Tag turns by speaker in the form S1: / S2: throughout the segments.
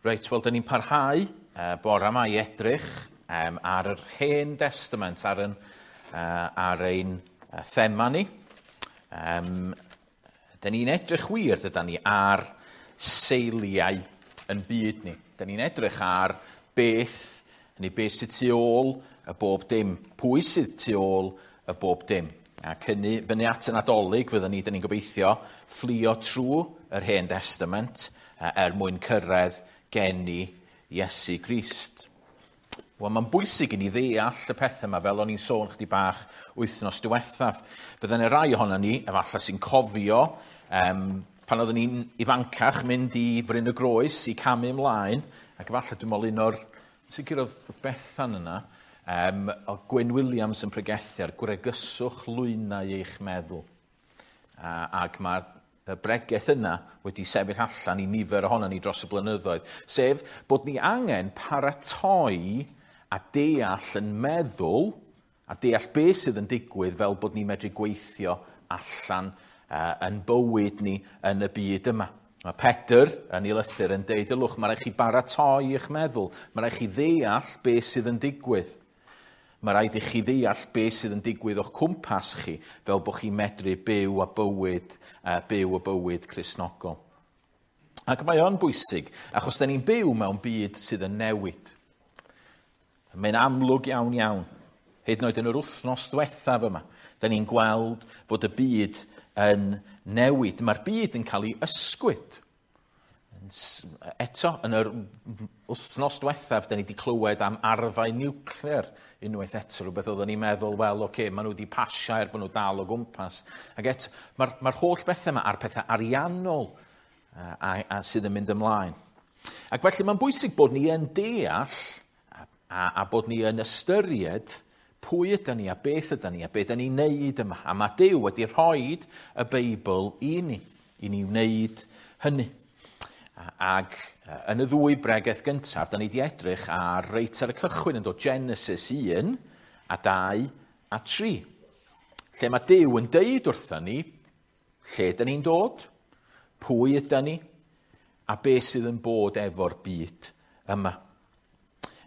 S1: Reit, wel, dyn ni'n parhau bore yma i edrych ar yr Hen Testament, ar ein thema ni. Dyn ni'n edrych wir, dydan ni, ar seiliau yn byd ni. Dyn ni'n edrych ar beth, neu beth sydd tu ôl y bob dim, pwy sydd tu ôl y bob dim. Ac hynny, fyny at y Nadolig, fyddwn ni, dyn ni'n gobeithio, fflio trwy yr Hen Testament er mwyn cyrraedd geni Iesu Grist. Wel, mae'n bwysig i ni ddeall y pethau yma, fel o'n i'n sôn chdi bach wythnos diwethaf. Bydden y rai ohono ni, efallai sy'n cofio, pan oeddwn ni'n ifancach, mynd i Fryn y Groes i camu ymlaen, ac efallai dwi'n meddwl un o'r, sicr oedd Bethan yna, o Gwyn Williams yn pregethu ar gwregyswch lwynau eich meddwl. Ac mae'r y bregeth yna wedi sefyll allan i nifer ohono ni dros y blynyddoedd, sef bod ni angen paratoi a deall yn meddwl a deall beth sydd yn digwydd fel bod ni'n medru gweithio allan yn bywyd ni yn y byd yma. Mae Pedr yn ei lythyr yn deud, ylwch, mae rhaid chi baratoi eich meddwl, mae rhaid chi ddeall beth sydd yn digwydd. Mae rhaid i chi ddeall beth sydd yn digwydd o'ch cwmpas chi, fel bod chi'n medru byw a bywyd, byw y bywyd Cristnogol. Ac mae o'n bwysig, achos da ni'n byw mewn byd sydd yn newid. Mae'n amlwg iawn iawn. Hyd yn oed yn yr wythnos diwethaf yma, da ni'n gweld fod y byd yn newid. Mae'r byd yn cael ei ysgwyd. Eto, yn yr wythnos diwethaf, da ni wedi clywed am arfau niwclear unwaith eto, rhywbeth oedden ni'n meddwl, wel, oce, maen nhw wedi pasio er bod nhw dal o gwmpas. Ac eto, mae'r holl bethau yma a'r pethau ariannol a sydd yn mynd ymlaen. Ac felly mae'n bwysig bod ni yn deall a bod ni yn ystyried pwy ydan ni a beth ydan ni a beth ydan ni'n neud yma. A mae Duw wedi rhoi y Beibl i ni wneud hynny. Ac yn y ddwy bregeth gyntaf, da ni wedi edrych ar reit ar y cychwyn yn dod Genesis 1 a 2 a 3. Lle mae Duw yn deud wrthon ni lle da ni'n dod, pwy ydan ni, a beth sydd yn bod efo'r byd yma.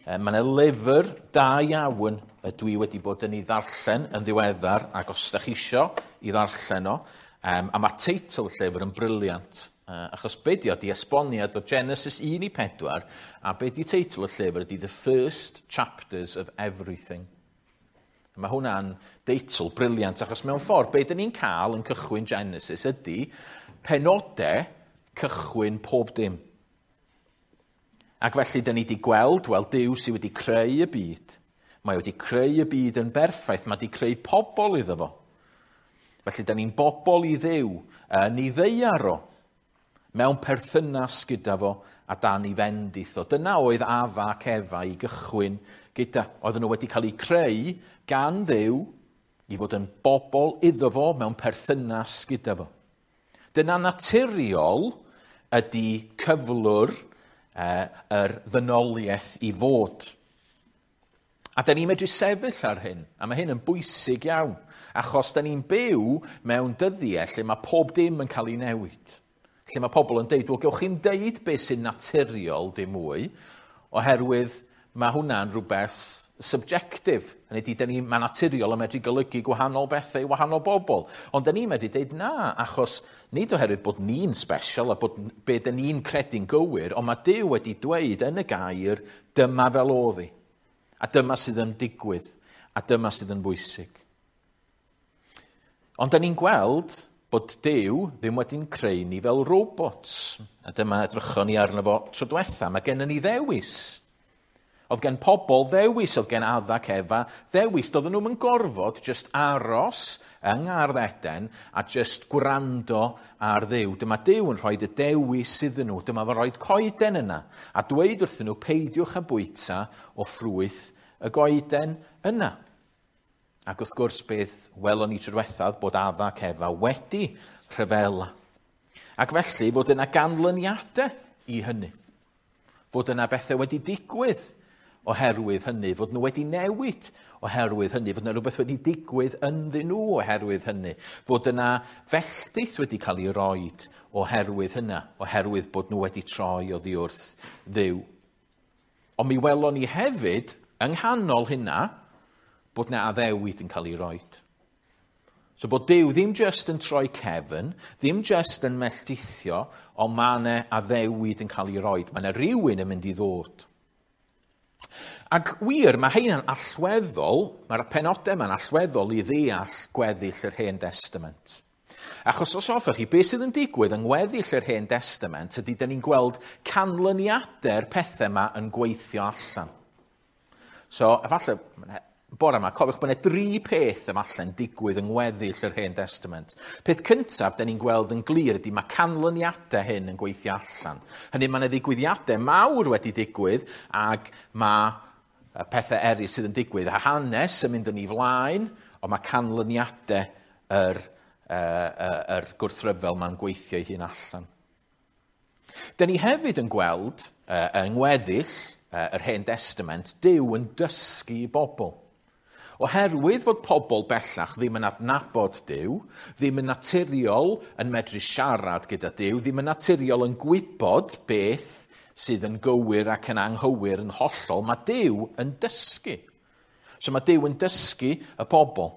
S1: Mae yna lyfr da iawn y dwi wedi bod yn ei ddarllen yn ddiweddar, ac os da chi isio i ddarllen o, a mae teitl y llyfr yn brilliant. Achos be di o, di esboniad o Genesis 1 i 4, a be di teitl y llyfr ydi The First Chapters of Everything. Mae hwnna'n deitl brilliant, achos mewn ffordd, be dyn ni'n cael yn cychwyn Genesis ydy penodau cychwyn pob dim. Ac felly, dyn ni wedi gweld, wel, Duw sydd wedi creu y byd. Mae wedi creu y byd yn berffaith, mae wedi creu pobl iddo fo. Felly, dyn ni'n bobl i Dduw, yn ei ddaear o, mewn perthynas gyda fo a dan ei fendith o. Dyna oedd Adda ac Efa i gychwyn gyda. Oedden nhw wedi cael eu creu gan Dduw i fod yn bobl iddo fo mewn perthynas gyda fo. Dyna naturiol ydy cyflwr yr ddynoliaeth i fod. A da ni'n medru sefyll ar hyn, a mae hyn yn bwysig iawn, achos da ni'n byw mewn dyddiau lle mae pob dim yn cael ei newid. Lle mae pobl yn deud, wel, gewch chi'n deud beth sy'n naturiol dim mwy, oherwydd mae hwnna'n rhywbeth subjective. Hynny ydi, mae naturiol yn medru golygu gwahanol bethau i wahanol bobl. Ond da ni'n medru deud na, achos nid oherwydd bod ni'n special a bod be da ni'n credu'n gywir, ond mae Duw wedi dweud yn y gair, dyma fel oedd hi. A dyma sydd yn digwydd, a dyma sydd yn bwysig. Ond da ni'n gweld bod Duw ddim wedi'n creu ni fel robots. A dyma edrychon ni arno fo tro diwetha. Mae gennym ni ddewis. Oedd gen pobl ddewis, oedd gen Adda ac Efa ddewis. Doedden nhw'm yn gorfod just aros yng Ngardd Eden a just gwrando ar Dduw. Dyma Duw yn rhoi y dewis iddyn nhw. Dyma fo'n rhoi coeden yna a dweud wrthyn nhw peidiwch â bwyta o ffrwyth y goeden yna. Ac wrth gwrs beth welon ni tro diwethaf bod Adda ac Efa wedi rhyfela. Ac felly fod yna ganlyniadau i hynny. Fod yna bethau wedi digwydd oherwydd hynny, fod nhw wedi newid oherwydd hynny, fod yna rhywbeth wedi digwydd ynddyn nhw oherwydd hynny, fod yna felltith wedi cael ei roed oherwydd hynna, oherwydd bod nhw wedi troi oddi wrth Dduw. Ond mi welon ni hefyd, yng nghanol hynna, bod yna addewid yn cael ei roed. So bod Duw ddim jyst yn troi cefn, ddim jyst yn melltithio, ond mae yna addewid yn cael ei roed. Mae yna rhywun yn mynd i ddod. Ac wir, mae heina'n allweddol, mae'r penodau yma'n allweddol i ddeall gweddill yr Hen Testament. Achos os hoffech chi, beth sydd yn digwydd yng ngweddill yr Hen Testament ydy dyn ni'n gweld canlyniadau'r pethau yma yn gweithio allan. So, efallai, bore yma, cofiwch bod yna dri peth efallai'n digwydd yng ngweddill yr Hen Testament. Peth cyntaf, dyn ni'n gweld yn glir ydy mae canlyniadau hyn yn gweithio allan. Hynny, mae yna ddigwyddiadau mawr wedi digwydd ac mae pethau eraill sydd yn digwydd. A hanes yn mynd yn ei flaen, ond mae canlyniadau yr gwrthryfel ma'n gweithio ei hun allan. Dyn ni hefyd yn gweld yng ngweddill yr Hen Testament, Duw yn dysgu i bobl. Oherwydd fod pobl bellach ddim yn adnabod Duw, ddim yn naturiol yn medru siarad gyda Duw, ddim yn naturiol yn gwybod beth sydd yn gywir ac yn anghywir yn hollol, mae Duw yn dysgu. So mae Duw yn dysgu y pobl.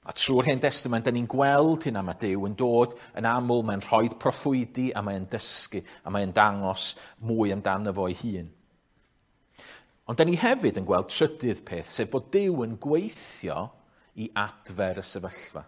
S1: A trwy'r Hen Testament, da ni'n gweld hynna, mae Duw yn dod yn aml, mae'n rhoi proffwydi a mae'n dysgu, a mae'n dangos mwy amdano fo ei hun. Ond da ni hefyd yn gweld trydydd peth, sef bod Duw yn gweithio i adfer y sefyllfa.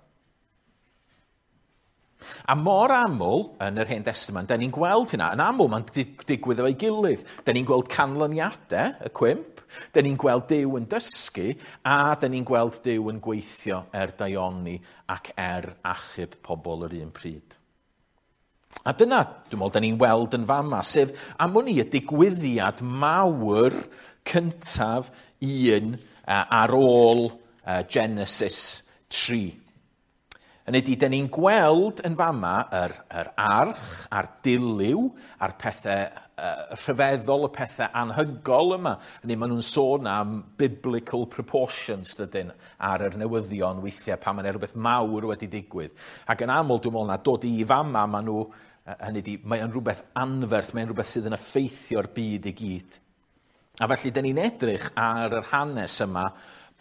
S1: A mor aml yn yr Hen Testament, da ni'n gweld hynna. Yn aml mae'n digwydd efo'i gilydd. Da ni'n gweld canlyniadau y cwymp, da ni'n gweld Duw yn dysgu, a da ni'n gweld Duw yn gweithio er daioni ac er achub pobl yr un pryd. A dyna, dwi'n meddwl, da ni'n weld yn fama, sef am wn i y digwyddiad mawr cyntaf un ar ôl Genesis 3. Hynny ydy, da ni'n gweld yn fama yr arch a'r dilyw a'r pethau rhyfeddol, y pethau anhygol yma. Hynny, maen nhw'n sôn am biblical proportions, dydyn, ar yr newyddion weithiau pan mae'n rhywbeth mawr wedi digwydd. Ac yn aml, dwi'n meddwl na dod i fama, maen nhw, hynny ydy, mae'n rhywbeth anferth, mae'n rhywbeth sydd yn effeithio'r byd i gyd. A felly, da ni'n edrych ar yr hanes yma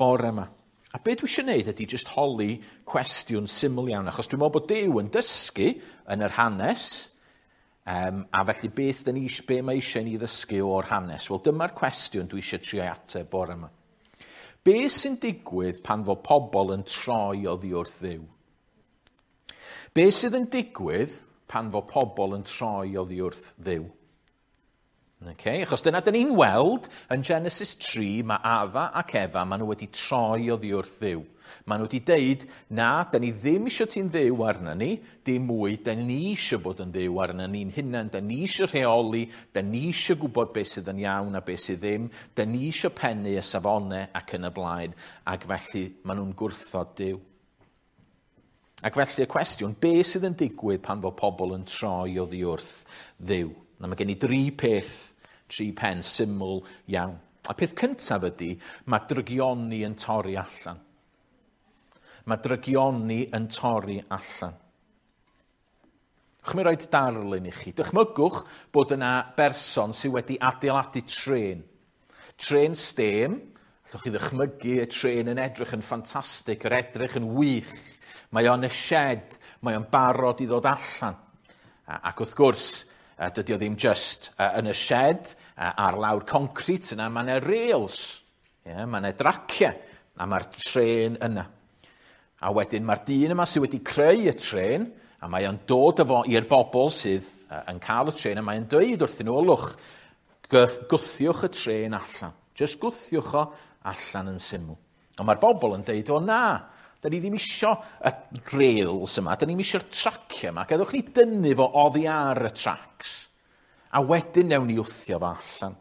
S1: bore yma. A be dwi eisiau gwneud ydy jyst holi cwestiwn syml iawn, achos dwi'n meddwl bod Duw yn dysgu yn yr hanes, a felly beth dyn ni, be mae eisiau ni ddysgu o'r hanes? Wel, dyma'r cwestiwn dwi eisiau trio ateb bore yma. Be sy'n digwydd pan fo pobl yn troi oddi wrth Dduw? Be sydd yn digwydd pan fo pobl yn troi oddi wrth Dduw? Okay, achos dyna dyn ni'n weld yn Genesis 3, mae Adda ac Efa, maen nhw wedi troi oddi wrth Dduw. Maen nhw wedi deud, na, dyn ni ddim eisiau ti'n Dduw arna ni, dim mwy, dyn ni eisiau bod yn Dduw arna ni'n hunain, dyn ni eisiau rheoli, dyn ni eisiau gwybod beth sydd yn iawn a beth sydd ddim, dyn ni eisiau pennu y safonau ac yn y blaen, ac felly maen nhw'n gwrthod Duw. Ac felly y cwestiwn, beth sydd yn digwydd pan fo pobl yn troi oddi wrth Dduw? Na, mae gen i dri peth, tri pen syml iawn. A peth cyntaf ydy, mae drygioni yn torri allan. Mae drygioni yn torri allan. Chymru roed darlun i chi. Dychmygwch bod yna berson sydd wedi adeiladu trên. Trên stêm, allwch chi ddychmygu y trên yn edrych yn ffantastig, yr edrych yn wych. Mae o'n y shed, mae o'n barod i ddod allan. Ac wrth gwrs, dydy o ddim just yn y shed ar lawr concrit yna, mae yna rails, yeah, mae yna draciau, a mae'r trên yna. A wedyn mae'r dyn yma sydd wedi creu y trên, a mae o'n dod efo i'r bobl sydd yn cael y trên, a mae'n dweud wrthyn nhw, lwch, gwthiwch y trên allan. Just gwthiwch o allan yn syml. Ond mae'r bobl yn dweud, o na, da ni ddim isio y rails yma, da ni ddim isio'r traciau yma, gadewch ni dynnu fo oddi ar y tracs, a wedyn newn ni wthio fo allan.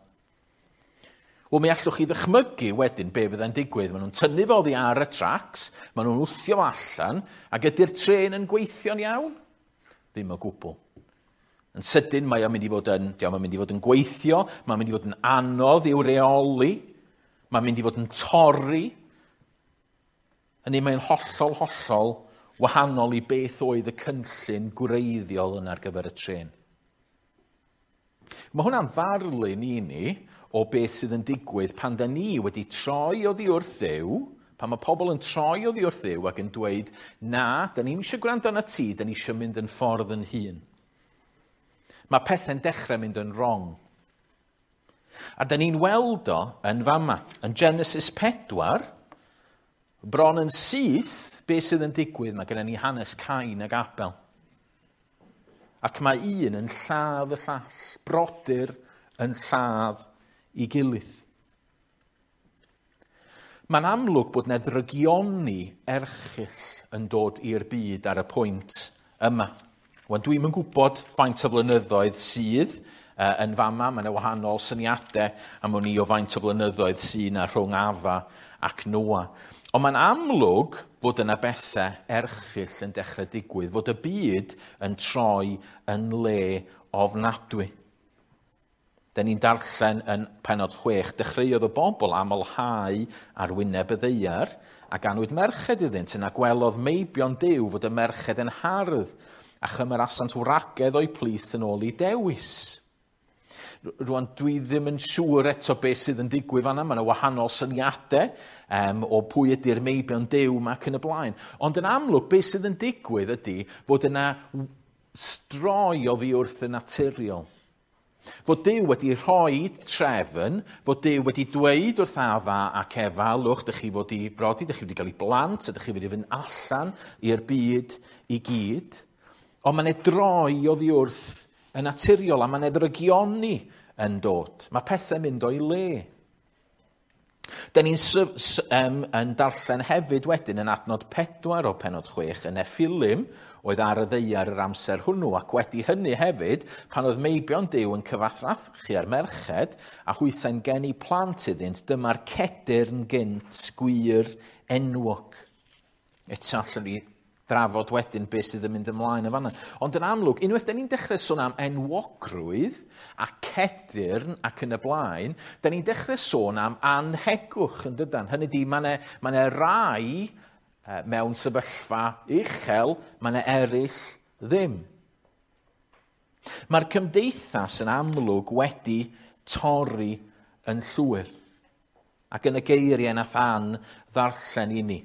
S1: Wel, mi allwch chi ddychmygu wedyn be fyddai'n digwydd. Maen nhw'n tynnu fo oddi ar y tracs, maen nhw'n wthio fo allan, ac ydy'r trên yn gweithio'n iawn? Ddim o gwbl. Yn sydyn mae o'n mynd i fod yn, diolch, mae'n mynd i fod yn gweithio, mae'n mynd i fod yn anodd i'w reoli. Mae'n mynd i fod yn torri. Hynny mae'n hollol, hollol wahanol i beth oedd y cynllun gwreiddiol yna ar gyfer y trên. Mae hwnna'n ddarlun i ni o beth sydd yn digwydd pan da ni wedi troi oddi wrth Dduw, pan mae pobl yn troi oddi wrth Dduw ac yn dweud, na, da ni'm eisiau gwrando arna ti, da ni eisiau mynd yn ffordd yn hun. Mae pethau'n dechrau mynd yn wrong. A da ni'n weld o yn fama. Yn Genesis 4, bron yn syth, beth sydd yn digwydd, mae gennym ni hanes Cain ac Abel. Ac mae un yn lladd y llall, brodyr yn lladd i gilydd. Mae'n amlwg bod yna ddrygioni erchyll yn dod i'r byd ar y pwynt yma. Wan, dwi'm yn gwybod faint o flynyddoedd sydd yn fama, mae yna wahanol syniadau am wn i o faint o flynyddoedd sydd yna rhwng Adda ac Noa. Ond mae'n amlwg fod yna bethau erchyll yn dechrau digwydd, fod y byd yn troi yn le ofnadwy. Da ni'n darllen yn pennod 6, dechreuodd y bobl amlhau ar wyneb y ddaear, a ganwyd merched iddynt, yna gwelodd meibion Duw fod y merched yn hardd, a chymerasant wragedd o'u plith yn ôl i dewis. Rwan, dwi ddim yn siŵr eto beth sydd yn digwydd fan'na. Mae yna wahanol syniadau o pwy ydy'r meibion Duw yma ac yn y blaen. Ond yn amlwg, beth sydd yn digwydd ydy fod yna stroi oddi wrth y naturiol. Fod Duw wedi rhoi trefn, fod Duw wedi dweud wrth Adda ac Efa, lwch, dych chi fod i brodi, dych chi wedi cael ei blant, a dych chi wedi fynd allan i'r byd i gyd. Ond mae'n droi oddi wrth y naturiol, a mae'n ddrygioni yn dod. Mae pethau'n mynd o'i le. Da ni'n yn darllen hefyd wedyn yn adnod 4 o pennod 6 y Nephilim oedd ar y ddaear yr amser hwnnw, ac wedi hynny hefyd, pan oedd meibion Duw yn cyfathrachu ar merched a hwythau'n geni plant iddynt, dyma'r cedyrn gynt gwir enwog. Eto allwn ni drafod wedyn beth sydd yn mynd ymlaen yn fan'na. Ond yn amlwg, unwaith da ni'n dechrau sôn am enwogrwydd a cedyrn ac yn y blaen, da ni'n dechrau sôn am anhegwch yn dydan. Hynny ydi, mae 'na rai mewn sefyllfa uchel, mae 'na eraill ddim. Mae'r cymdeithas yn amlwg wedi torri yn llwyr. Ac yn y geiriau nath Ann ddarllen i ni,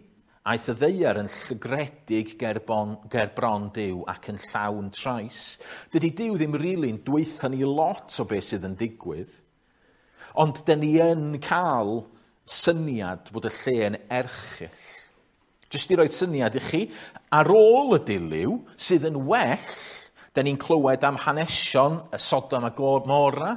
S1: aeth y ddaear yn llygredig ger bron Duw ac yn llawn trais. Dydy Duw ddim rili'n dweutha ni lot o beth sydd yn digwydd, ond dyn ni yn cael syniad bod y lle yn erchyll. Jyst i roi syniad i chi, ar ôl y dilyw sydd yn well, dyn ni'n clywed am hanesion y Sodom a Gomorra,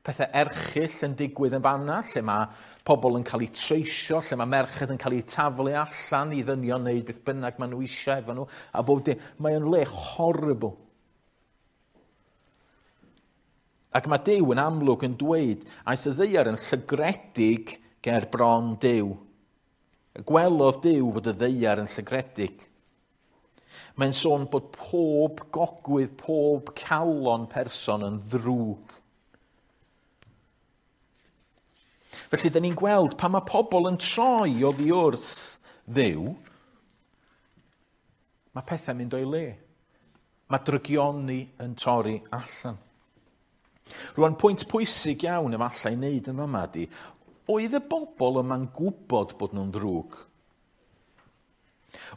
S1: pethau erchyll yn digwydd yn fanna, lle mae pobl yn cael eu treisio, lle mae merched yn cael eu taflu allan i ddynion wneud beth bynnag maen nhw eisiau efo nhw, a bob dim. Mae o'n le horrible. Ac mae Duw yn amlwg yn dweud, aeth y ddaear yn llygredig ger bron Duw. Gwelodd Duw fod y ddaear yn llygredig. Mae'n sôn bod pob gogwydd, pob calon person yn ddrwg. Felly, dyn ni'n gweld pan mae pobl yn troi oddi wrth Dduw, mae pethau'n mynd o'i le. Mae drygioni yn torri allan. Rwan, pwynt pwysig iawn efallai i wneud yn fama ydi, oedd y bobl yma'n gwybod bod nhw'n ddrwg?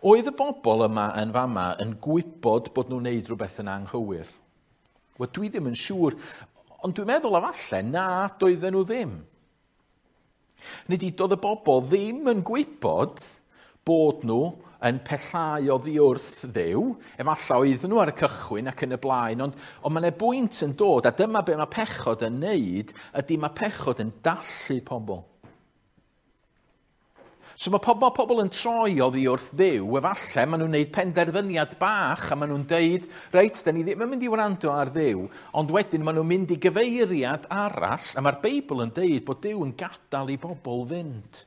S1: Oedd y bobl yma yn fama yn gwybod bod nhw'n wneud rhywbeth yn anghywir? Wel, dwi ddim yn siŵr, ond dwi'n meddwl efallai na doedden nhw ddim. Nid doedd y bobl ddim yn gwybod bod nhw yn pellhau oddi wrth Dduw, efallai oedden nhw ar y cychwyn ac yn y blaen, ond mae yna bwynt yn dod, a dyma be mae pechod yn neud, ydy mae pechod yn dallu pobl. So mae pobl yn troi oddi wrth Dduw, efallai maen nhw'n neud penderfyniad bach a maen nhw'n deud, reit, da ni ddim yn mynd i wrando ar Dduw, ond wedyn maen nhw'n mynd i gyfeiriad arall, a mae'r Beibl yn deud bod Duw yn gadael i bobl fynd.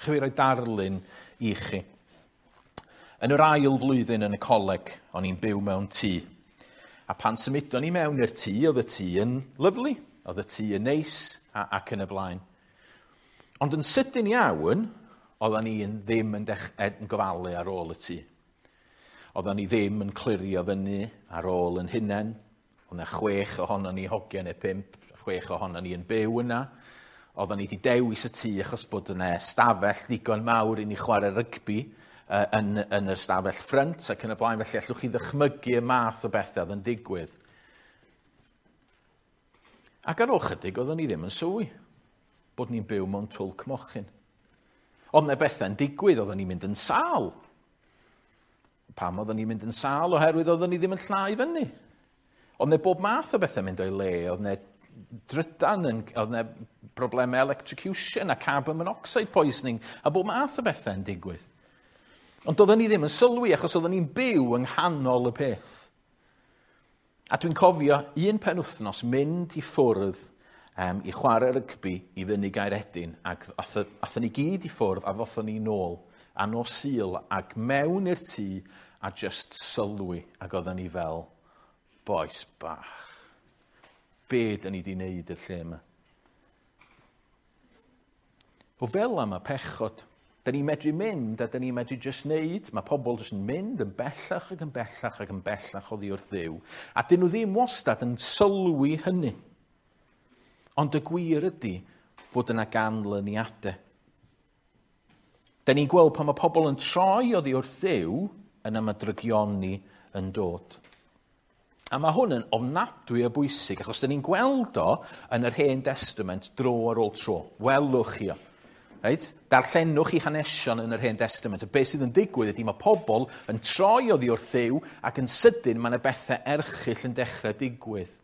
S1: Chwi roi darlun i chi. Yn yr ail flwyddyn yn y coleg, o'n i'n byw mewn tŷ. A pan symudon ni mewn i'r tŷ, oedd y tŷ yn lyfli. Oedd y tŷ yn neis ac yn y blaen. Ond yn sydyn iawn, oedden ni ddim yn gofalu ar ôl y tŷ. Oedden ni ddim yn clirio fyny ar ôl yn hunain. Oedd yna 6 ohonon ni hogiau neu 5, 6 ohonon ni yn byw yna. Oedden ni wedi dewis y tŷ achos bod yna stafell ddigon mawr i ni chwarae rygbi yn y stafell ffrynt ac yn y blaen. Felly allwch chi ddychmygu y math o bethau oedd yn digwydd. Ac ar ôl chydig, oedden ni ddim yn sylwi bod ni'n byw mewn twll cmochyn. Oedd yna bethau'n digwydd, oedden ni'n mynd yn sâl. Pam oedden ni'n mynd yn sâl? Oherwydd oedden ni ddim yn llnau fyny. Oedd yna bob math o bethau mynd o'i le, oedd yna drydan, oedd yna problemau electrocution a carbon monoxide poisoning, a bob math o bethau yn digwydd. Ond oedden ni ddim yn sylwi achos oedden ni'n byw yng nghanol y peth. A dwi'n cofio un penwythnos mynd i ffwrdd i chwarae rygbi i fyny Gaeredin, ac athon ni gyd i ffwrdd a ddothon ni nôl a nos Sul ac mewn i'r tŷ a just sylwi, ac oedden ni fel, bois bach, be dyn ni wedi wneud i'r lle yma? O fel am y pechod, dyn ni'n medru mynd a dyn ni'n medru just wneud, mae pobl just yn mynd yn bellach ac yn bellach ac yn bellach oddi wrth Dduw, a dyn nhw ddim wastad yn sylwi hynny. Ond y gwir ydy fod yna ganlyniadau. Dyn ni'n gweld pan mae pobl yn troi oddi wrth Dduw, yna mae drygioni yn dod. A mae hwn yn ofnadwy o bwysig, achos dyn ni'n gweld o yn yr Hen Testament dro ar ôl tro. Welwch chi o. Right? Darllenwch chi hanesion yn yr Hen Testament. A beth sydd yn digwydd ydy mae pobl yn troi oddi wrth Dduw ac yn sydyn mae yna bethau erchyll yn dechrau digwydd.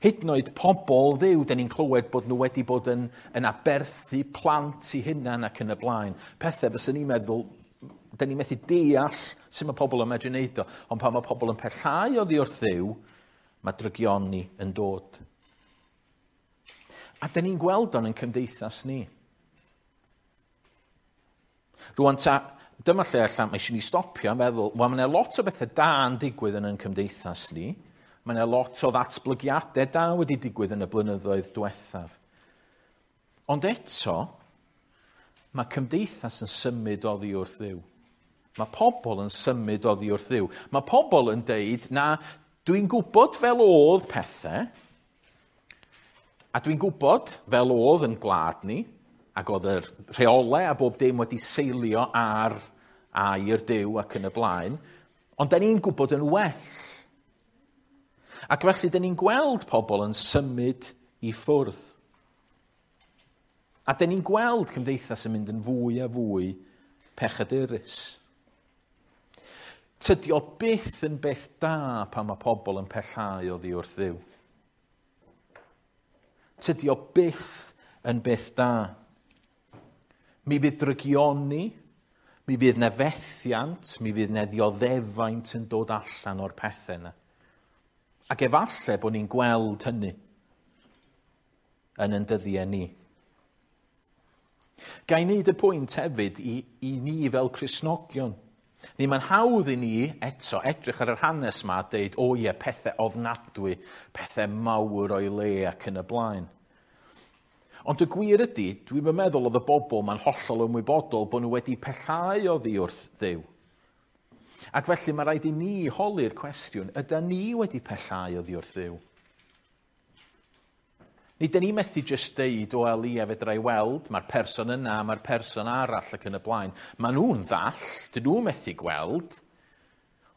S1: Hyd yn oed pobl Dduw, dyn ni'n clywed bod nhw wedi bod yn aberthu plant i hunan ac yn y blaen. Pethau fyswn ni'n meddwl, dyn ni'n methu deall sut mae pobl yn medru wneud o. Ond pan mae pobl yn pellhau oddi wrth Dduw, mae drygioni yn dod. A dyn ni'n gweld o'n yn cymdeithas ni. Rwan ta, dyma lle allan, mae eisiau ni stopio a meddwl, wel, mae yna lot o bethau da yn digwydd yn ein cymdeithas ni. Mae yna lot o ddatblygiadau da wedi digwydd yn y blynyddoedd diwethaf. Ond eto, mae cymdeithas yn symud oddi wrth Dduw. Mae pobl yn symud oddi wrth Dduw. Mae pobl yn deud, na, dwi'n gwybod fel oedd pethau, a dwi'n gwybod fel oedd yn gwlad ni, ac oedd yr rheolau a bob dim wedi seilio ar air Duw ac yn y blaen, ond da ni'n gwybod yn well. Ac felly, da ni'n gweld pobl yn symud i ffwrdd. A da ni'n gweld cymdeithas yn mynd yn fwy a fwy pechadurus. Tydi o byth yn beth da pan mae pobl yn pellhau oddi wrth Dduw. Tydi o byth yn beth da. Mi fydd drygioni, mi fydd 'na fethiant, mi fydd 'na ddioddefaint yn dod allan o'r pethau yna. Ac efallai bod ni'n gweld hynny yn ein dyddiau ni. Ga i wneud y pwynt hefyd i ni fel Cristnogion. Ni mae'n hawdd i ni eto edrych ar yr hanes yma a deud, o ie, pethau ofnadwy, pethau mawr o'i le ac yn y blaen. Ond y gwir ydy, dwi'n meddwl oedd y bobl ma'n hollol ymwybodol bod nhw wedi pellhau oddi wrth Dduw. Ac felly mae rhaid i ni holi'r cwestiwn, ydy ni wedi pellhau oddi wrth Dduw? Nid ni methu jyst deud, o wel ie, fedra i weld, mae'r person yna, mae'r person arall ac yn y blaen. Maen nhw'n ddall, dyn nhw'n methu gweld.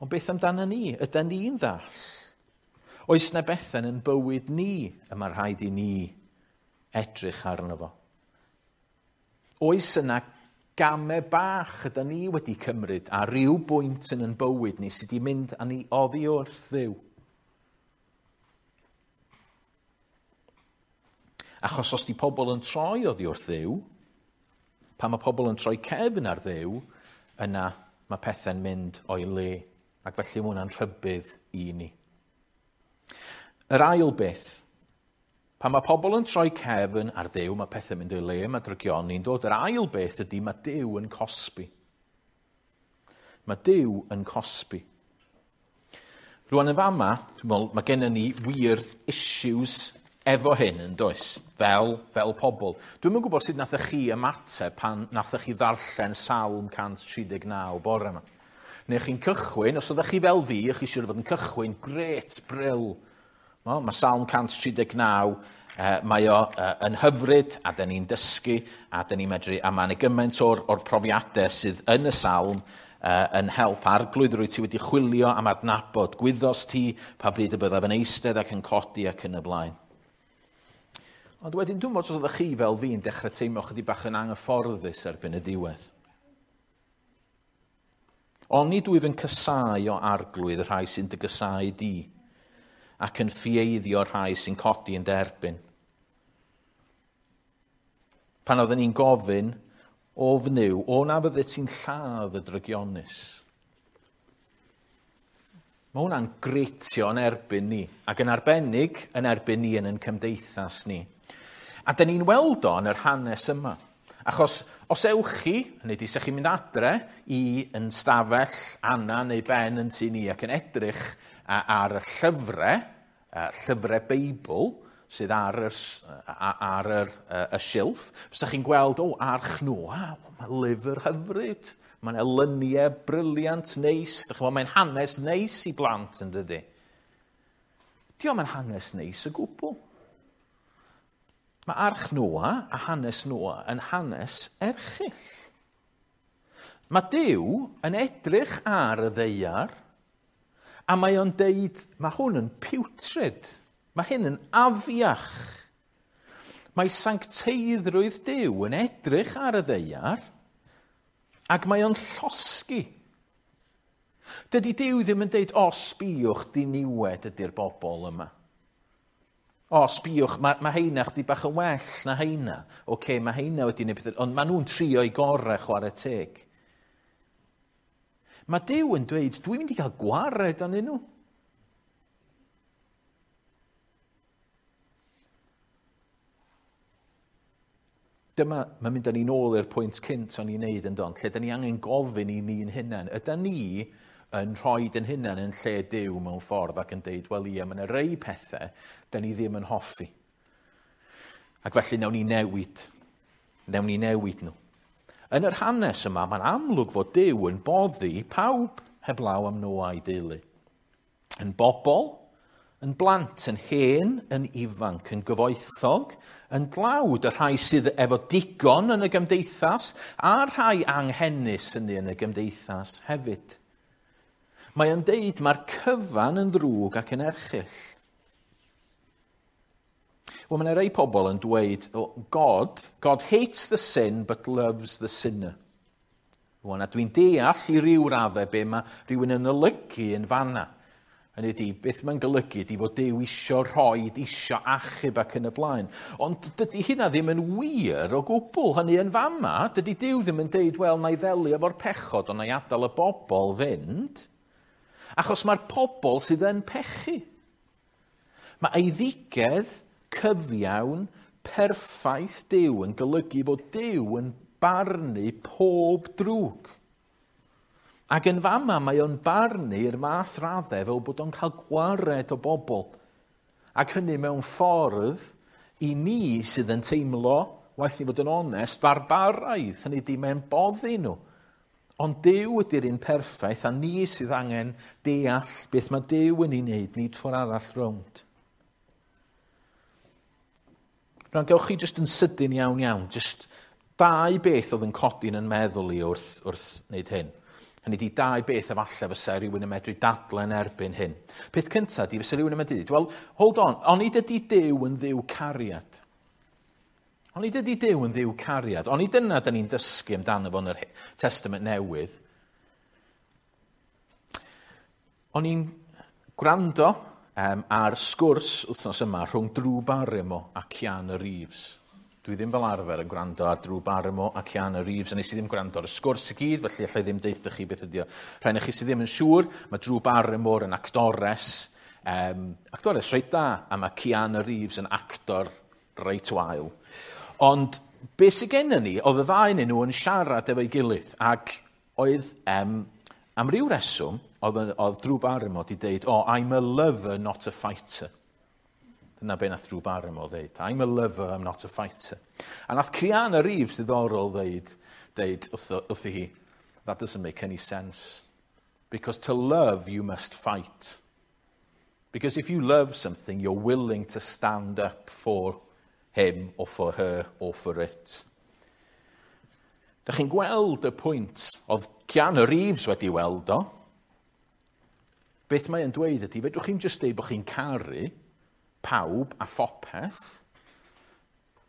S1: Ond beth amdano ni? Ydy ni'n ddall? Oes na bethau yn bywyd ni y mae rhaid i ni edrych arno fo? Oes yna gamau bach ydy ni wedi cymryd a ryw bwynt yn ein bywyd ni sydd wedi mynd â ni oddi wrth Dduw? Achos os di pobl yn troi oddi wrth Dduw, pan mae pobl yn troi cefn ar Dduw, yna mae pethau'n mynd o'i le. Ac felly mae hwnna'n rhybudd i ni. Yr ail beth, pan mae pobl yn troi cefn ar Dduw, mae pethau'n mynd o'i le, mae drygioni'n dod. Yr ail beth ydy mae Duw yn cosbi. Mae Duw yn cosbi. Rwan yn fama, dwi'n meddwl, mae gennym ni wir issues efo hyn yn does, fel pobl. Dwi'm yn gwybod sut nathoch chi ymateb pan nathoch chi ddarllen Salm 139 bore yma. Neu chi'n cychwyn, os oeddech chi fel fi, chi siŵr fod yn cychwyn, gret, bril. Well, mae Salm 139, mae o yn hyfryd, a dyn ni'n dysgu, a dyn ni'n medru, a mae'n gymaint o'r profiadau sydd yn y salm yn help. Arglwydd, rwy ti wedi chwilio am adnabod, gwyddos ti pa bryd y byddaf yn eistedd ac yn codi ac yn y blaen. Ond wedyn, dwi'n meddwl os oeddech chi fel fi'n dechrau teimlo chydig bach yn anghyfforddus erbyn y diwedd. Oni dwyf yn casáu o arglwydd y rhai sy'n dy gasáu di, ac yn ffieiddio rhai sy'n codi yn derbyn. Pan oedden ni'n gofyn, o fnyw, o na fydde ti'n lladd y drygionus. Mae hwnna'n greitio yn erbyn ni, ac yn arbennig yn erbyn ni yn ein cymdeithas ni. A dyn ni'n weld o yn yr hanes yma. Achos os ewch chi, hynny ydi, sech chi'n mynd adre i yn stafell Anna neu Ben yn tŷ ni ac yn edrych ar y llyfrau Beibl sydd ar y silff, fysa chi'n gweld, o, Arch Noa, mae lyfr hyfryd, mae'n elyniau briliant neis, mae'n hanes neis i blant yn dydi. Dio'm yn hanes neis o gwbl. Mae Arch Noa a hanes Noa yn hanes erchyll. Mae Duw yn edrych ar y ddaear a mae o'n deud, mae hwn yn putrid, mae hyn yn afiach. Mae sancteiddrwydd Duw yn edrych ar y ddaear ac mae o'n llosgi. Dydy Duw ddim yn deud, o, sbïwch, diniwed ydy'r bobl yma. O, sbïwch, mae heina chdi bach yn well na heina. Oce, mae heina wedi gwneud pethau, ond maen nhw'n trio i gorau chwarae teg. Mae Duw yn dweud, dwi'n mynd i gael gwared arnyn nhw. Dyma, mae'n mynd â ni nôl i'r pwynt cynt o'n i'n neud yn don, lle da ni angen gofyn i ni'n hunain. Yda ni yn rhoi yn hunain yn lle Duw mewn ffordd ac yn deud, wel ie, mae yna rei pethau da ni ddim yn hoffi. Ac felly nawn ni newid. Nawn ni newid nhw. Yn yr hanes yma, mae'n amlwg fod Duw yn boddi pawb heblaw am Noa a'i deulu. Yn bobl, yn blant, yn hen, yn ifanc, yn gyfoethog, yn dlawd, y rhai sydd efo digon yn y gymdeithas, a'r rhai anghenus hynny yn y gymdeithas hefyd. Mae o'n deud mae'r cyfan yn ddrwg ac yn erchyll. Wel, mae yna rei pobl yn dweud, oh, God hates the sin but loves the sinner. Wel, a dwi'n deall i ryw raddau be mae rhywun yn olygu yn fanna. Hynny ydi, beth mae'n golygu ydi fod Duw isio rhoi, isio achub ac yn y blaen. Ond dydy hynna ddim yn wir o gwbl. Hynny yn fama, dydy Duw ddim yn deud, wel, na i ddelio efo'r pechod, ond na i adael y bobl fynd. Achos mae'r pobl sydd yn pechu. Mae eiddigedd cyfiawn perffaith Duw yn golygu fod Duw yn barnu pob drwg. Ac yn fama mae o'n barnu i'r math raddau fel bod o'n cael gwared o bobl. Ac hynny mewn ffordd i ni sydd yn teimlo, waeth ni fod yn onest, barbaraidd. Hynny di mae'n boddi nhw. Ond Duw ydy'r un perffaith a ni sydd angen deall beth mae Duw yn ei wneud, nid ffordd arall rownd. Rwan, gewch chi jyst yn sydyn iawn iawn, jyst dau beth oedd yn codi'n yn meddwl i wrth wneud hyn. Hynny di dau beth efallai fysa rhywun yn medru dadlen erbyn hyn. Peth cyntaf di fysa rhywun yn medru dweud, well, hold on, onid ydy Duw yn ddiw cariad? Onid ydy Duw yn ddiw cariad? Onid dyna da ni'n dysgu amdano fo yn yr Testament Newydd? O'n i'n gwrando ar sgwrs wythnos yma rhwng Drew Barrymore a Keanu Reeves. Dwi ddim fel arfer yn gwrando ar Drew Barrymore a Keanu Reeves, a nes i ddim gwrando ar y sgwrs i gyd, felly allai ddim deutha chi beth ydi o. Rhai chi sydd ddim yn siŵr, mae Drew Barrymore yn actores, actores reit da, a mae Keanu Reeves yn actor reit wael. Ond beth sydd gennym ni, oedd y ddau nhw yn siarad efo'i gilydd, ac oedd, am ryw reswm, oedd Drew Barrymore wedi deud, oh, I'm a lover, not a fighter. Dyna be nath Drew Barrymore ddeud. "I'm a lover, I'm not a fighter." A nath Keanu Reeves ddiddorol ddeud wrthi hi, "That doesn't make any sense. Because to love, you must fight. Because if you love something, you're willing to stand up for him or for her or for it." Da chi'n gweld y pwynt oedd Keanu Reeves wedi weld o. Beth mae'n dweud ydy, fedrwch chi'n just deud bod chi'n caru pawb a phopeth.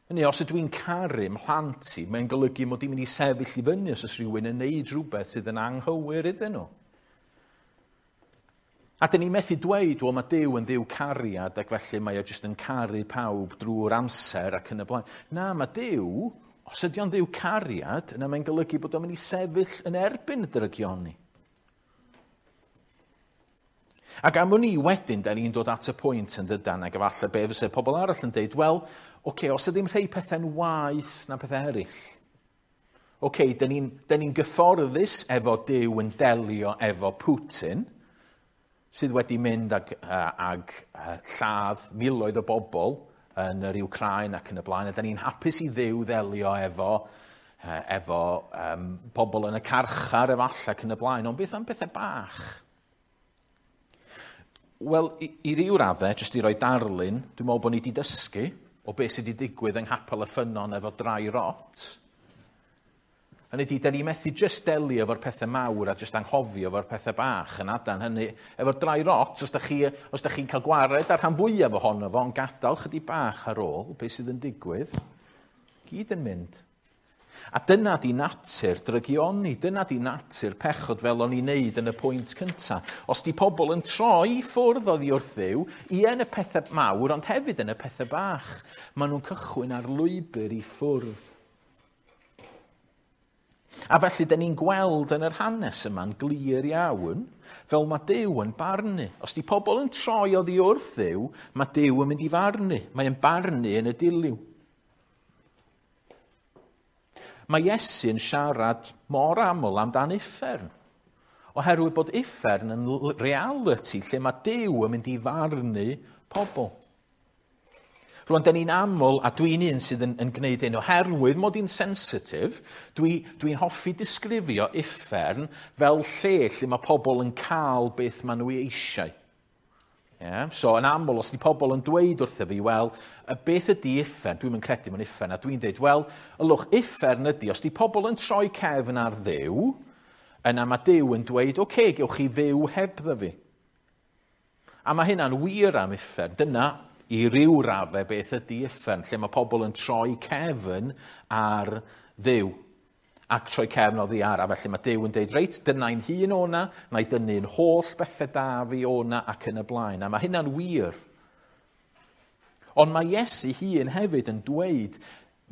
S1: Hynny, os ydw i'n caru mhlant i, mae'n golygu mod i'n mynd i sefyll i fyny os oes rhywun yn neud rhywbeth sydd yn anghywir iddyn nhw. A dyn ni methu dweud, wel, mae Duw yn Dduw cariad ac felly mae o jyst yn caru pawb drwy'r amser ac yn y blaen. Na, mae Duw, os ydy o'n Dduw cariad, yna mae'n golygu bod o'n mynd i sefyll yn erbyn y drygioni. Ac am wn i wedyn, da ni'n dod at y pwynt yn dydan, ac efallai be fysa pobl arall yn deud, wel, oce, okay, os ydym rhai pethau'n waeth na pethau eraill. Oce, okay, da ni'n ni gyfforddus efo Duw yn delio efo Putin, sydd wedi mynd ag lladd miloedd o bobl yn yr Ukraine ac yn y blaen, a da ni'n hapus i Dduw ddelio efo pobl yn y carchar efallai ac yn y blaen, ond beth am bethau bach? Wel, i ryw raddau, jyst i roi darlun, dwi'n meddwl bod ni wedi dysgu o beth sydd wedi digwydd yng Nghapel y Ffynnon efo dry rot. Hynny ydy, da ni methu jyst delio efo'r pethau mawr a jyst anghofio efo'r pethau bach yn adan. Hynny, efo'r dry rot, os da chi'n cael gwared ar rhan fwyaf ohono fo, ond gadael chydig bach ar ôl, beth sydd yn digwydd, gyd yn mynd. A dyna di natur drygioni, dyna di natur pechod fel o'n i'n neud yn y pwynt cyntaf. Os di pobl yn troi ffwrdd oddi wrth Dduw, ie yn y pethau mawr, ond hefyd yn y pethau bach, maen nhw'n cychwyn ar lwybr i ffwrdd. A felly, dyn ni'n gweld yn yr hanes yma'n glir iawn, fel mae Duw yn barnu. Os di pobl yn troi oddi wrth Dduw, mae Duw yn mynd i farnu. Mae'n barnu yn y dilyw. Mae Iesu yn siarad mor aml amdan uffern. Oherwydd bod uffern yn reality lle mae Duw yn mynd i farnu pobl. Rwan, da ni'n aml, a dwi'n un sydd yn gwneud hyn, oherwydd mod i'n sensitif, dwi hoffi disgrifio uffern fel lle mae pobl yn cael beth maen nhw eisiau. Yeah? So, yn aml, os di pobl yn dweud wrtho fi, wel, beth ydy uffern? Dwi'n yn credu mewn uffern, a dwi'n dweud, wel, ylwch, uffern ydy, os di pobl yn troi cefn ar Dduw, yna mae Duw yn dweud, oce, okay, gewch chi fyw hebddo fi. A mae hynna'n wir am uffern. Dyna, i ryw raddau, beth ydy uffern, lle mae pobl yn troi cefn ar Dduw ac troi cefn oddi ar, a felly mae Duw yn deud, reit, dyna'n hun o'na, na i dynnu'n holl bethau da fi o'na ac yn y blaen. A mae hynna'n wir. Ond mae Iesu hun hefyd yn dweud,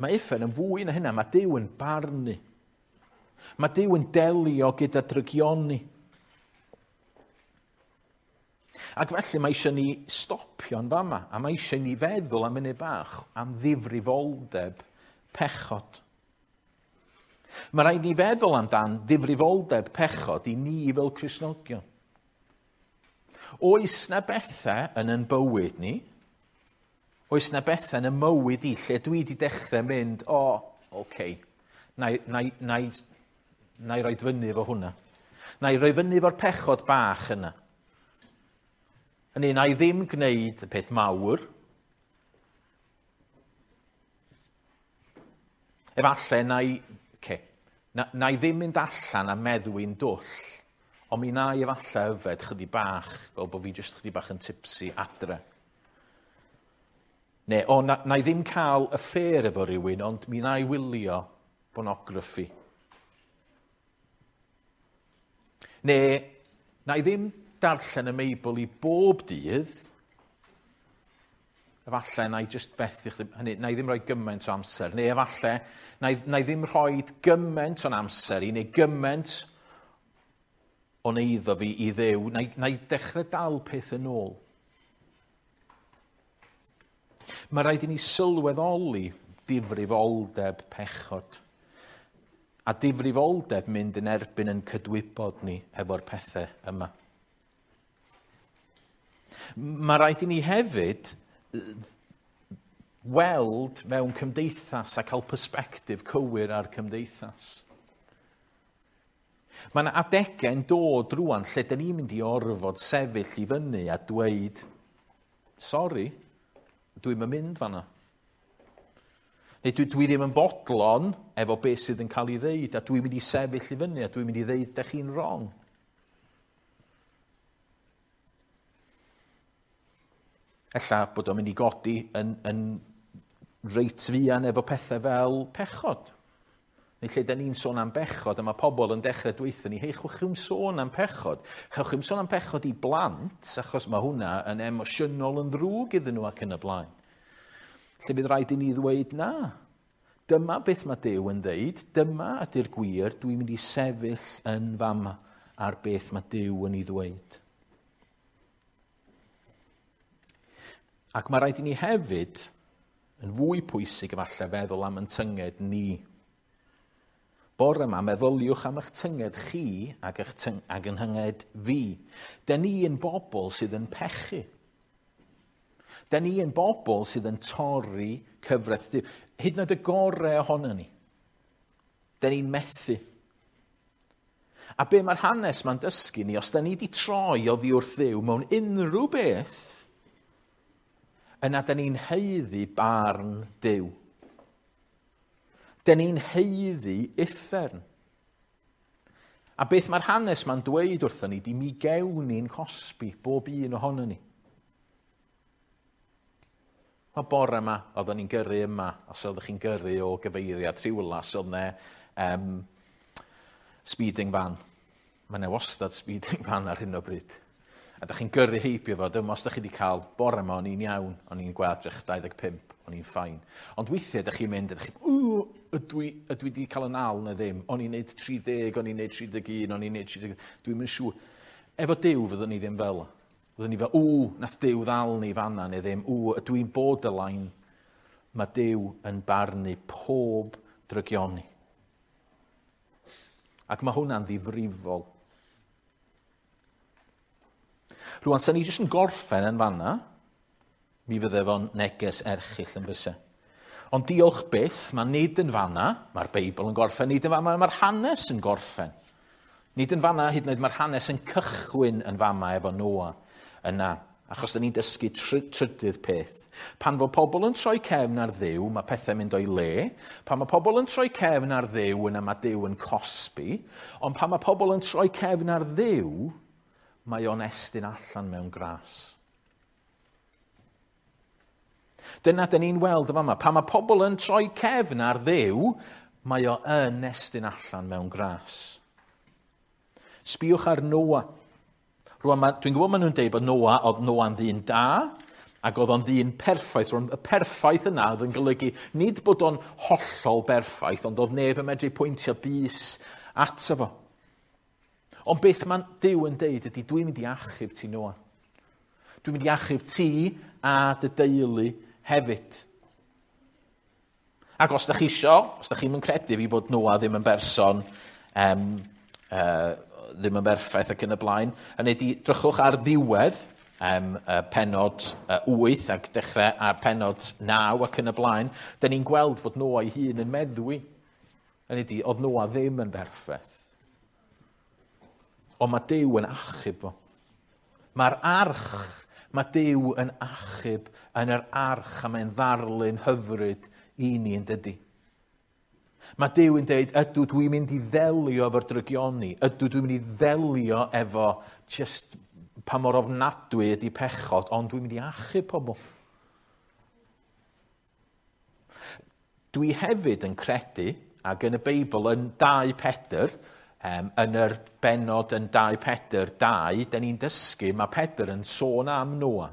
S1: mae uffern yn fwy na hynna, mae Duw yn barnu. Mae Duw yn delio gyda drygioni. Ac felly mae eisiau ni stopio'n fama, a mae eisiau ni feddwl am munud bach am ddifrifoldeb pechod. Mae rhaid ni feddwl amdan ddifrifoldeb pechod i ni fel Cristnogion. Oes na bethau yn yn bywyd ni? Oes na bethau yn y mywyd i lle dwi wedi dechrau mynd, o, oh, oce, okay, na i roi fyny efo hwnna. Na i roi fyny efo'r pechod bach yna. Hynny, na i ddim gwneud y peth mawr. Efallai na i ddim mynd allan a meddwi'n dwll, ond mi na i efallai yfed chydig bach, fel bod fi jyst chydig bach yn tipsy adre. Neu, o, na i ddim cael affair efo rhywun, ond mi na i wylio pornograffi. Neu, na i ddim darllen y Meibl i bob dydd, efallai na i jyst fethu, hynny, na i ddim rhoi gymaint o amser, neu efallai na i ddim rhoi gymaint o'n amser i, neu gymaint o'n eiddo fi i Dduw, na i dechrau dal peth yn ôl. Mae rhaid i ni sylweddoli difrifoldeb pechod, a difrifoldeb mynd yn erbyn yn cydwybod ni efo'r pethau yma. Mae rhaid i ni hefyd weld mewn cymdeithas a cael persbectif cywir ar cymdeithas. Mae yna adegau'n dod rwan lle dyn ni'n mynd i orfod sefyll i fyny a dweud, sori, dwi'm yn mynd fanna. Neu dwi ddim yn fodlon efo beth sydd yn cael ei ddeud, a dwi'n mynd i sefyll i fyny, a dwi'n mynd i ddeud da chi'n wrong. Ella bod o'n mynd i godi yn reit fuan efo pethau fel pechod. Neu lle da ni'n sôn am bechod, a mae pobl yn dechrau dweithio ni, hei, chwch chi'm sôn am pechod. Chwch chi'm sôn am pechod i blant, achos mae hwnna yn emosiynol yn ddrwg iddyn nhw ac yn y blaen. Lle bydd rhaid i ni ddweud na. Dyma beth mae Duw yn ddeud, dyma ydy'r gwir, dwi'n mynd i sefyll yn fama ar beth mae Duw yn ei ddweud. Ac mae rhaid i ni hefyd, yn fwy pwysig efallai, feddwl am yn tynged ni. Bore yma, meddyliwch am eich tynged chi ac yn hynged fi. Dyn ni yn bobl sydd yn pechu. Dyn ni yn bobl sydd yn torri cyfraith Duw. Hyd yn oed y gorau ohono ni. Dyn ni'n methu. A be mae'r hanes ma'n dysgu ni, os dyn ni wedi troi oddi wrth Dduw mewn unrhyw beth, yna dyn ni'n haeddu barn Duw. Dyn ni'n haeddu uffern. A beth mae'r hanes ma'n dweud wrthon ni, di mi gewn ni'n cosbi bob un ohono ni. O bore yma, oedden ni'n gyrru yma, os oeddech chi'n gyrru o gyfeiriad Rhiwlas, oedd 'ne speeding van. Mae 'ne wastad speeding van ar hyn o bryd. A da chi'n gyrru heibio fo, dyma os da chi wedi cael, bore yma o'n i'n iawn, o'n i'n gweld 25, o'n i'n fine. Ond weithiau da chi'n mynd, a da chi'n, ydw i wedi cael yn al neu ddim? O'n i'n neud 30, o'n i'n neud 31, o'n i'n neud 30, dwi'm yn siŵr. Efo Duw fyddwn ni ddim fel. Fyddwn ni fel, nath Duw ddal ni fanna neu ddim, ydw i'n borderline. Mae Duw yn barnu pob drygioni. Ac mae hwnna'n ddifrifol. Rwan, sa'n ni jyst yn gorffen yn fanna, mi fydde fo'n neges erchyll yn byse. Ond diolch byth, mae nid yn fanna, mae'r Beibl yn gorffen, nid yn fanna, mae'r hanes yn gorffen. Nid yn fanna, hyd yn oed mae'r hanes yn cychwyn yn fama efo Noa yna, achos da ni'n dysgu trydydd peth. Pan fo pobl yn troi cefn ar Dduw, mae pethau'n mynd o'i le. Pan mae pobl yn troi cefn ar Dduw, yna mae Duw yn cosbi. Ond pan mae pobl yn troi cefn ar Dduw, mae o'n estyn allan mewn gras. Dyna dyn ni'n weld yn fama. Pan mae pobl yn troi cefn ar Dduw, mae o yn estyn allan mewn gras. Sbïwch ar Noa. Rwan, dwi'n gwybod maen nhw'n deud bod Noa, oedd Noa'n ddyn da, ac oedd o'n ddyn perffaith. Rwan, y perffaith yna oedd yn golygu nid bod o'n hollol berffaith, ond oedd neb yn medru pwyntio bys ato fo. Ond beth mae Duw yn deud ydy, dwi'n mynd i achub ti, Noa. Dwi'n mynd i achub ti a dy deulu hefyd. Ac os da chi isio, os da chi'm yn credu fi bod Noa ddim yn berson, ddim yn berffaith ac yn y blaen, hynny ydy, drychwch ar ddiwedd penod 8 ac dechrau ar penod 9 ac yn y blaen, da ni'n gweld fod Noa ei hun yn meddwi. Hynny ydy, oedd Noa ddim yn berffaith. Ond mae Duw yn achub fo. Mae'r arch, mae Duw yn achub yn yr arch, a mae'n ddarlun hyfryd i ni yn dydy. Mae Duw yn deud, ydw dwi'n mynd i ddelio efo'r drygioni, ydw dwi'n mynd i ddelio efo just pa mor ofnadwy ydy pechod, ond dwi'n mynd i achub pobl. Dwi hefyd yn credu, ac yn y Beibl yn 2 Pedr, yn yr benod yn 2 Pedr 2, da ni'n dysgu, mae Pedr yn sôn am Noa,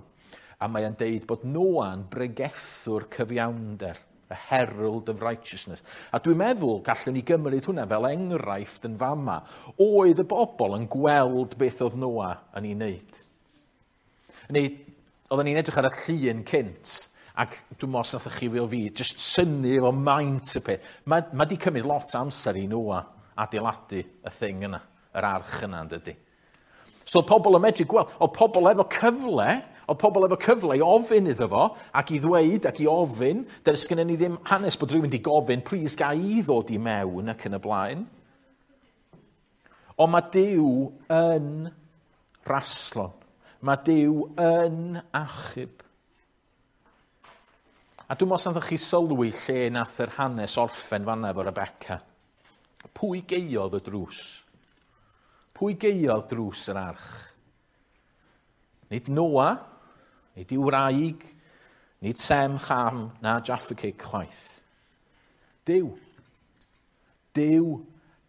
S1: a mae o'n deud bod Noa'n bregethwr cyfiawnder, a herald of righteousness. A dwi'n meddwl gallwn ni gymryd hwnna fel enghraifft yn fama. Oedd y bobl yn gweld beth oedd Noa yn ei wneud. Neu, oedden ni'n edrych ar y llun cynt, ac dwi'n meddwl os nathoch chi fel fi, just synnu efo maint y peth. Mae di cymryd lot o amser i Noa adeiladu y thing yna, yr arch yna, yn dydy. So oedd pobl yn medru gweld, oedd pobl efo cyfle, Oedd pobl efo cyfle i ofyn iddo fo, ac i ddweud ac i ofyn. Does gennym ni ddim hanes bod rhywun wedi gofyn, "Please, ga i ddod i mewn?" ac yn y blaen. Ond mae Duw yn raslon. Mae Duw yn achub. A dwi'n meddwl os chi sylwi lle nath yr hanes orffen fanna efo Rebecca. Pwy gaeodd y drws? Pwy gaeodd drws yr arch? Nid Noa, nid ei wraig, nid Sem, Cham, na Jaffa Cake chwaith. Duw. Duw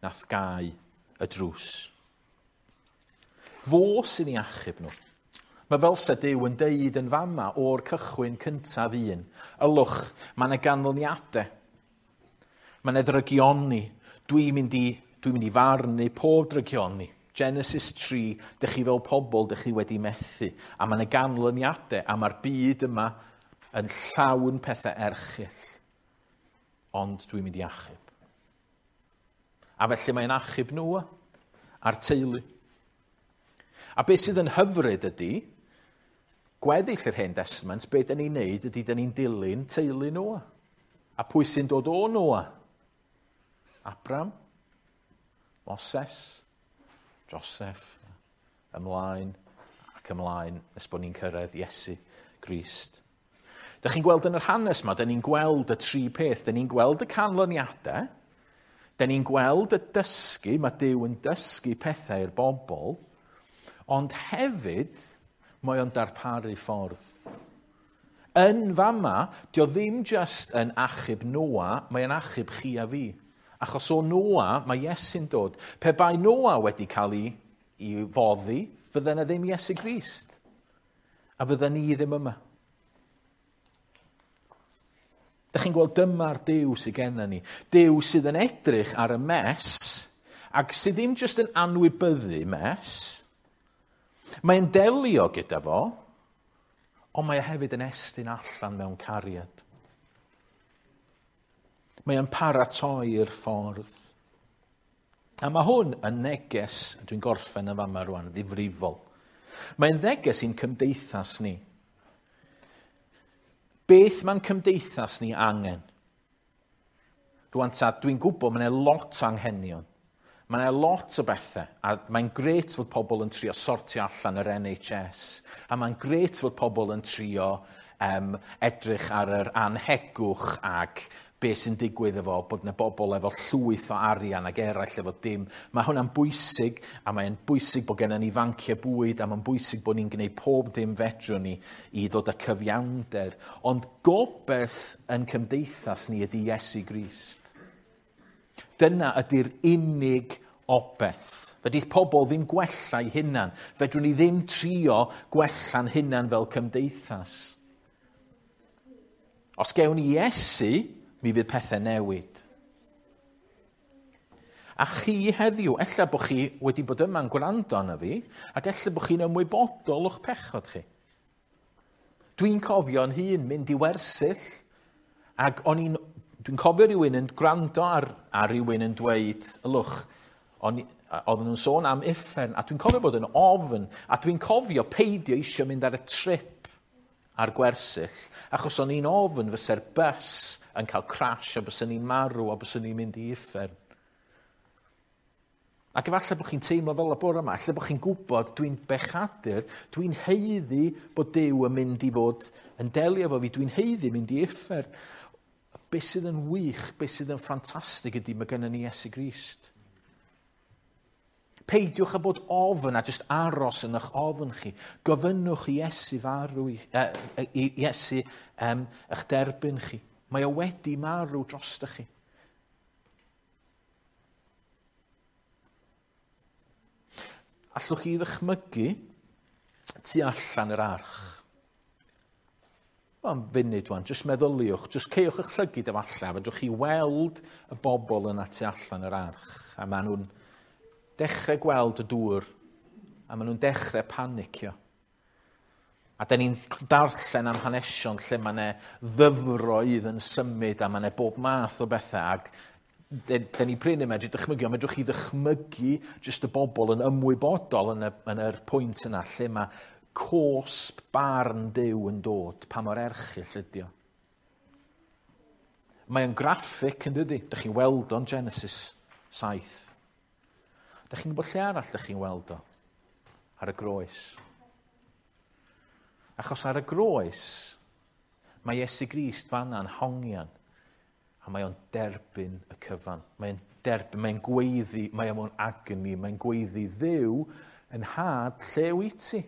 S1: nath gau y drws. Fo sy'n ei achub nhw. Mae fel se Duw yn deud yn fama o'r cychwyn cyntaf un. "Ylwch, mae yna ganlyniadau. Mae yna ddrygioni. Dwi'n mynd i farnu pob drygioni. Genesis 3, dych chi fel pobl, dych chi wedi methu. A mae yna ganlyniadau, a mae'r byd yma yn llawn pethau erchyll. Ond dwi'n mynd i achub." A felly mae'n achub nhw a'r teulu. A beth sydd yn hyfryd ydy, gweddill yr Hen Testament, beth dyn ni'n neud ydy dyn ni'n dilyn teulu Noa. A pwy sy'n dod o Noa? Abram, Moses, Joseph, ymlaen ac ymlaen nes bod ni'n cyrraedd Iesu Grist. Dych chi'n gweld yn yr hanes yma, dyn ni'n gweld y tri peth. Dyn ni'n gweld y canlyniadau, dyn ni'n gweld y dysgu, mae Duw yn dysgu pethau i'r bobl, ond hefyd mae o'n darparu ffordd. Yn fama, dio ddim just yn achub Noa, mae o'n achub chi a fi. Achos o Noa, mae Iesu'n dod. Pe bai Noa wedi cael ei foddi, fydde yna ddim Iesu Grist. A fydde ni ddim yma. Dych chi'n gweld, dyma'r Duw sydd gennym ni. Duw sydd yn edrych ar y mess, ac sydd ddim jyst yn anwybyddu mess. Mae'n delio gyda fo, ond mae e hefyd yn estyn allan mewn cariad. Mae o'n paratoi'r ffordd. A mae hwn yn neges, dwi'n gorffen yn fama rwan, ddifrifol. Mae'n neges i'n cymdeithas ni. Beth mae'n cymdeithas ni angen? Rwan ta, dwi'n gwybod mae'n lot o anghenion. Mae yna lot o bethau, a mae'n grêt fod pobl yn trio sortio allan yr NHS, a mae'n grêt fod pobl yn trio edrych ar yr anhegwch ac be sy'n digwydd efo bod yna bobl efo llwyth o arian ac eraill efo dim. Mae hwnna'n bwysig, a mae'n bwysig bod gennym ni fanciau bwyd, a mae'n bwysig bod ni'n gwneud pob dim fedrwn ni i ddod â cyfiawnder. Ond gobeith yn cymdeithas ni ydy Iesu Grist. Dyna ydy'r unig obeth. Fedrith pobl ddim gwella eu hunan. Fedrwn ni ddim trio gwella'n hunan fel cymdeithas. Os gewn ni Iesu, mi fydd pethau newid. A chi heddiw, ella bod chi wedi bod yma'n gwrando arna fi, ac ella bod chi'n ymwybodol o'ch pechod chi. Dwi'n cofio'n hun mynd i wersyll, ac o'n i'n, dwi'n cofio rhywun yn gwrando ar rhywun yn dweud, "Ylwch," oedden nhw'n sôn am uffern, a dwi'n cofio bod yn ofn, a dwi'n cofio peidio eisiau mynd ar y trip ar gwersyll, achos o'n i'n ofn fysa'r bus yn cael crash a byswn ni'n marw a byswn ni'n mynd i uffern. Ac efallai bod chi'n teimlo fel y bore yma, efallai bod chi'n gwybod, "Dwi'n bechadur, dwi'n haeddu bod Duw yn mynd i fod yn delio efo fi, dwi'n haeddu mynd i uffern." Be sydd yn wych, be sydd yn ffantastig ydy mae gennym ni Iesu Grist. Peidiwch â bod ofn a jyst aros yn eich ofn chi. Gofynnwch i Iesu farw, i Iesu eich derbyn chi. Mae o wedi marw drostoch chi. Allwch chi ddychmygu tu allan yr arch? Am funud wan, jyst meddyliwch, jyst caewch eich llygid efallai, fedrwch chi weld y bobl yna tu allan yr arch, a maen nhw'n dechrau gweld y dŵr, a maen nhw'n dechrau panicio. A da ni'n darllen am hanesion lle mae yna ddyfroedd yn symud a mae yna bob math o bethau, ac da ni prin yn medru dychmygu, ond medrwch chi ddychmygu jyst y bobl yn ymwybodol yn yr pwynt yna lle mae cosb barn Duw yn dod, pa mor erchyll ydi o. Mae o'n graffig yn dydy. Dych chi'n weld o'n Genesis 7. Dych chi'n gwybod lle arall dych chi'n weld o? Ar y groes. Achos ar y groes, mae Iesu Grist fanna'n hongian a mae o'n derbyn y cyfan. Mae'n derbyn, mae'n gweiddi, mae o'n agony, mae'n gweiddi Dduw yn nhad, lle wyt ti?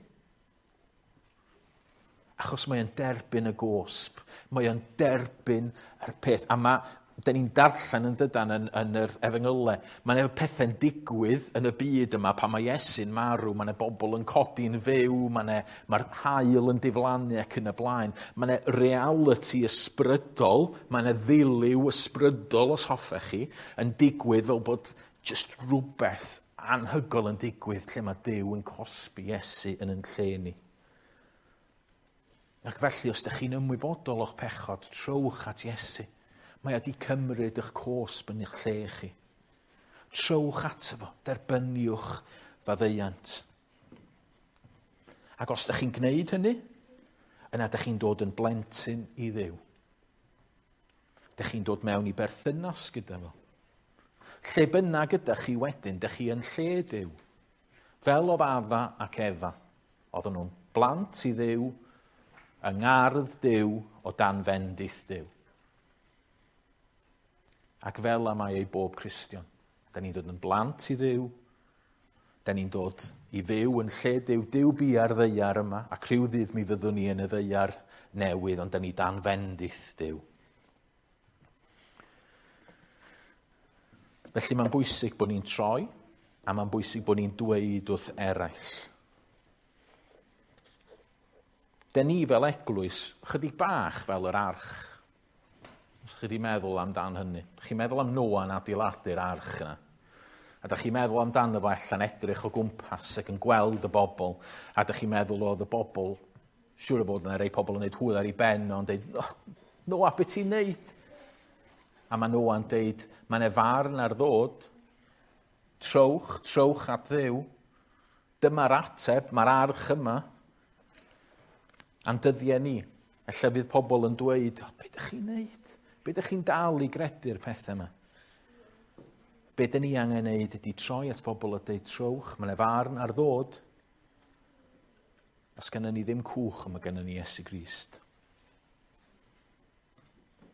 S1: Achos mae o'n derbyn y gosb. Mae o'n derbyn yr peth. A mae, da ni'n darllen yn dydan yn yr efengylau, mae yna pethau'n digwydd yn y byd yma pan mae Iesu'n marw, mae yna bobl yn codi'n fyw, mae'r haul yn diflannu ac yn y blaen. Mae yna reality ysbrydol, mae yna ddilyw ysbrydol, os hoffech chi, yn digwydd fel bod just rhywbeth anhygoel yn digwydd lle mae Duw yn cosbi Iesu yn yn lle ni. Ac felly, os ydych chi'n ymwybodol o'ch pechod, trowch at Iesu. Mae o wedi cymryd eich cosb yn eich lle chi. Trowch ato fo, derbyniwch faddeuant. Ac os ydych chi'n gwneud hynny, yna ydych chi'n dod yn blentyn i Dduw. Ydych chi'n dod mewn i berthynas gyda fo. Lle bynnag ydych chi wedyn, ydych chi yn lle Duw. Fel oedd Adda ac Efa. Oedden nhw'n blant i Dduw, yng ngardd Duw o dan fendith Duw. Ac fel y mae ei bob Cristion. Da ni'n dod yn blant i Dduw, da ni'n dod i fyw yn lle Duw, Duw bia'r ddaear yma, ac rhyw ddydd mi fyddwn ni yn y ddaear newydd, ond da ni dan fendith Duw. Felly mae'n bwysig bod ni'n troi, a mae'n bwysig bod ni'n dweud wrth eraill. Den ni fel eglwys, chydig bach fel yr arch. Os chi wedi meddwl amdan hynny. Chi'n meddwl am Noa yn adeiladu'r arch yna. A da chi'n meddwl amdano fo allan edrych o gwmpas ac yn gweld y bobl. A da chi'n meddwl oedd y bobl, siŵr o fod yna rei pobl yn neud hwyl ar ei ben o'n deud, oh, Noa, beth ti'n neud? A mae Noa'n deud, mae yna farn ar ddod. Trowch, trowch at Dduw. Dyma'r ateb, mae'r arch yma. A'n dyddiau ni, ella fydd pobl yn dweud, oh, be ydych chi'n neud? Be ydych chi'n dal i gredu'r pethau yma? Be dyn ni angen neud ydy troi at bobl a deud trowch, mae yna farn ar ddod. Os gennym ni ddim cwch, mae gennym ni Iesu Grist.